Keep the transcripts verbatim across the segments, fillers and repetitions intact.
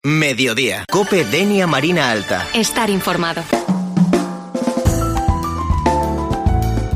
Mediodía. COPE Denia Marina Alta. Estar informado.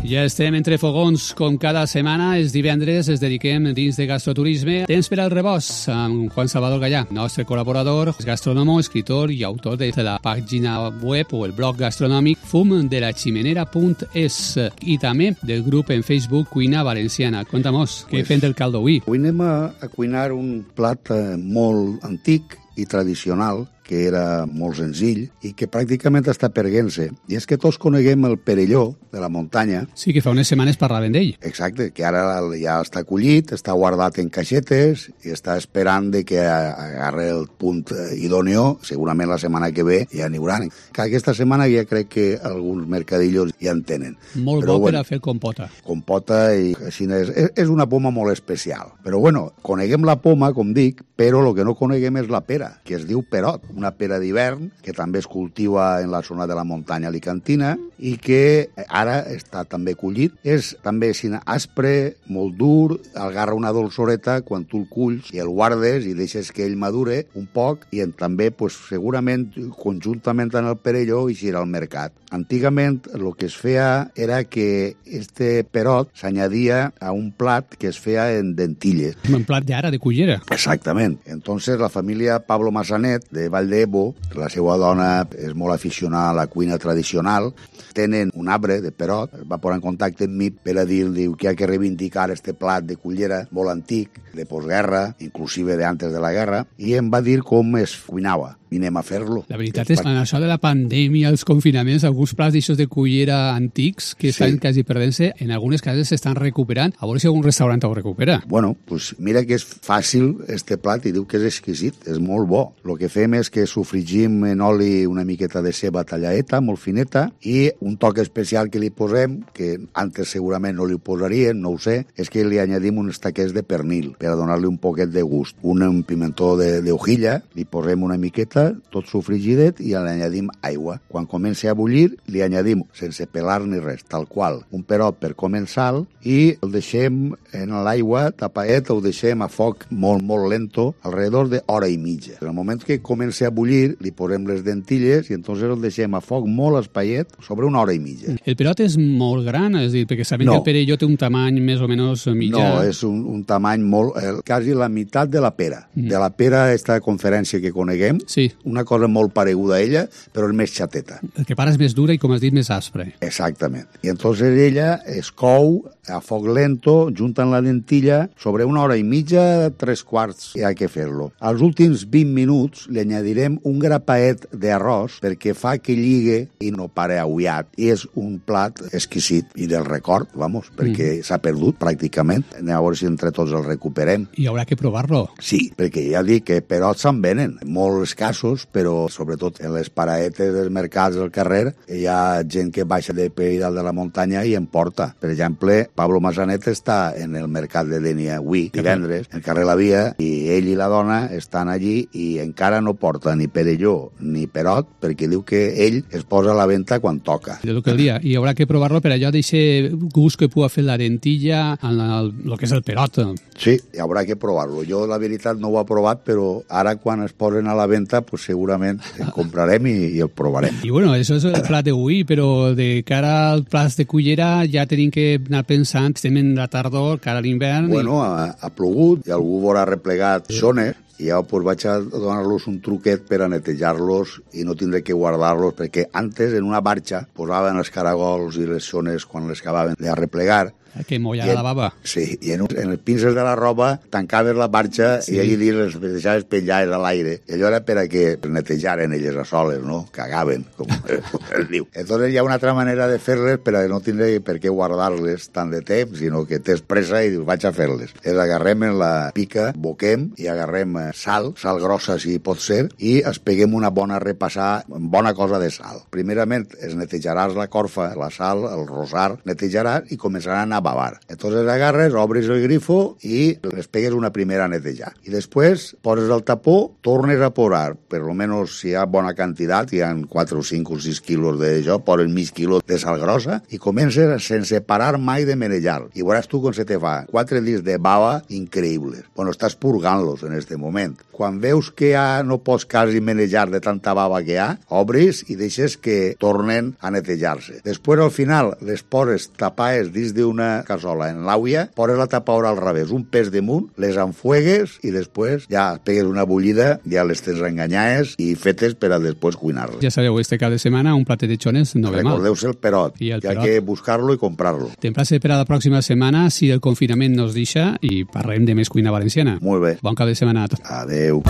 Ja estem entre fogons, com cada setmana. Els divendres es dediquem dins de gastroturisme. Temps per al rebost amb Juan Salvador Gallà, nostre col·laborador, gastrónomo, escritor i autor de la pàgina web o el blog gastronòmic fum de la chimenera punt es i també del grup en Facebook Cuina Valenciana. Conta'mos, què pues, fem del caldo avui? Avui anem a, a cuinar un plat eh, molt antic i tradicional, que era molt senzill i que pràcticament està perdent-se. I és que tots coneguem el perelló de la muntanya. Sí, que fa unes setmanes parlaven d'ell. Exacte, que ara ja està collit, està guardat en caixetes i està esperant de que agarre el punt idòneo. Segurament la setmana que ve ja n'hi haurà. Que aquesta setmana ja crec que alguns mercadillos ja en tenen. Molt Però, bo bueno, per a fer compota. Compota i així és. És una poma molt especial. Però bueno, coneguem la poma, com dic, però el que no coneguem és la pera, que es diu perot. Una pera d'hivern, que també es cultiva en la zona de la muntanya alicantina i que ara està també collit. És també sin aspre, molt dur, agarra una dolçoreta quan tu el culls i el guardes i deixes que ell madure un poc i en, també, pues, segurament, conjuntament amb el perelló, eixirà al mercat. Antigament, el que es feia era que este perot s'añadia a un plat que es feia en dentilles. Un plat d'ara, de cullera. Exactament. Entonces, la família Pablo Massanet, de Vall d'Ebo, la seva dona és molt aficionada a la cuina tradicional, tenen un arbre de perot, es va posar en contacte amb mi per a dir, diu, que hi ha que reivindicar este plat de cullera molt antic, de postguerra, inclusive de antes de la guerra, i em va dir com es cuinava. I anem a fer-lo. La veritat és que en això de la pandèmia, els confinaments, alguns plats d'aixòs de cullera antics que estan sí. quasi perdent-se, en algunes cases s'estan recuperant. A veure si algun restaurant ho recupera. Bueno, pues mira que és fàcil este plat i diu que és exquisit, és molt bo. El que fem és que sofregim en oli una miqueta de ceba tallaeta, molt fineta, i un toc especial que li posem, que antes segurament no li posaríem, no ho sé, és que li añadim uns taquets de pernil per a donar-li un poquet de gust. Un, un pimentó de, de hojilla, li posem una miqueta, tot sofregidet, i li añadim aigua. Quan comenci a bullir, li añadim, sense pelar ni res, tal qual, un perot per començar i el deixem en l'aigua tapaet, el deixem a foc molt, molt lento, alrededor d'hora i mitja. En el moment que comenci a bullir, li posem les dentilles i entonces el deixem a foc molt espaiet sobre una hora i mitja. El perot és molt gran, és dir, perquè sabem no. que el perelló té un tamany més o menys mitjà. No, és un, un tamany molt, eh, quasi la meitat de la pera. Mm. De la pera, esta conferència que coneguem, sí. una cosa molt pareguda a ella, però és més xateta. El que para és més dura i, com has dit, més aspre. Exactament. I entonces ella es cou a foc lento, juntant la dentilla, sobre una hora i mitja, tres quarts, i ha que fer-lo. Als últims vint minuts li añadirem un grapaet d'arròs perquè fa que lligue i no pare aullat. I és un plat exquisit i del record, vamos, perquè mm. s'ha perdut pràcticament. Anem a veure si entre tots el recuperem. I haurà que provar-lo. Sí, perquè ja dic que perots se'n venen, molt escassos, però sobretot en les paraetes dels mercats del carrer hi ha gent que baixa de peu dalt de la muntanya i en porta. Per exemple, Pablo Massanet està en el mercat de Denia avui, divendres, en carrer La Via, i ell i la dona estan allí i encara no porta ni perelló ni perot, perquè diu que ell es posa a la venda quan toca. De lo que el dia. I haurà que provar-lo per allò d'aquest gust que pugui fer la dentilla en el, el que és el perot. Sí, hi haurà que provar-lo. Jo, la veritat, no ho he provat, però ara quan es posen a la venda, pues segurament el comprarem i, i el provarem. I bueno, això és el plat d'avui, però de cara al plat de cullera ja tenim que anar pensant, estem en la tardor, cara a l'hivern... Bueno, i... ha, ha plogut i algú veurà replegat sí. zones i ja pues, vaig a donar-los un truquet per a netejar-los i no tindré que guardar-los, perquè antes en una barxa posaven els caragols i les zones quan les acabaven de replegar. Que molla la bava. Sí, i en, en els pinces de la roba tancaves la barxa sí. i allí dins les deixaves penjades a l'aire. I allò era per a que netejaren elles a soles, no? Cagaven, com es diu. Entonces hi ha una altra manera de fer-les per a no tindre per què guardar-les tant de temps, sinó que tens pressa i dius, vaig a fer-les. Les agarrem en la pica, boquem i agarrem sal, sal grossa si pot ser, i es peguem una bona repassar, bona cosa de sal. Primerament es netejaràs la corfa, la sal, el rosar, netejaràs i començaran a bavar. Entonces agarres, obres el grifo i les pegues una primera a netejar. I després poses el tapó, tornes a posar, per lo menos si hi ha bona quantitat, hi ha quatre o cinc o sis quilos d'això, poses mig quilo de sal grossa i comences sense parar mai de menellar. I veuràs tu com se te fa quatre dits de bava increïbles. Bueno, estàs purgant-los en este moment. Quan veus que ja no pots quasi menejar de tanta bava que hi ha, obris i deixes que tornen a netejar-se. Després, al final, les poses tapades dins d'una cassola en l'àuia, poses la tapadora al revés, un pes damunt, les enfuegues i després ja pegues una bullida, ja les tens enganyades i fetes per a després cuinar-les. Ja sabeu, este cap de setmana un platet de xones no ve mal. Recordeu-se el perot, I el que perot. hay que buscar-lo i comprar-lo. T'emplace per a la pròxima setmana, si el confinament nos deixa, i parlem de més cuina valenciana. Molt bé. Bon cap de setmana a tots. Adeu.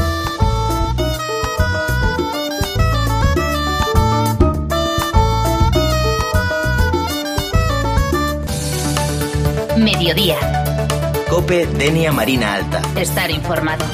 Mediodía. Cope Denia Marina Alta. Estar informado.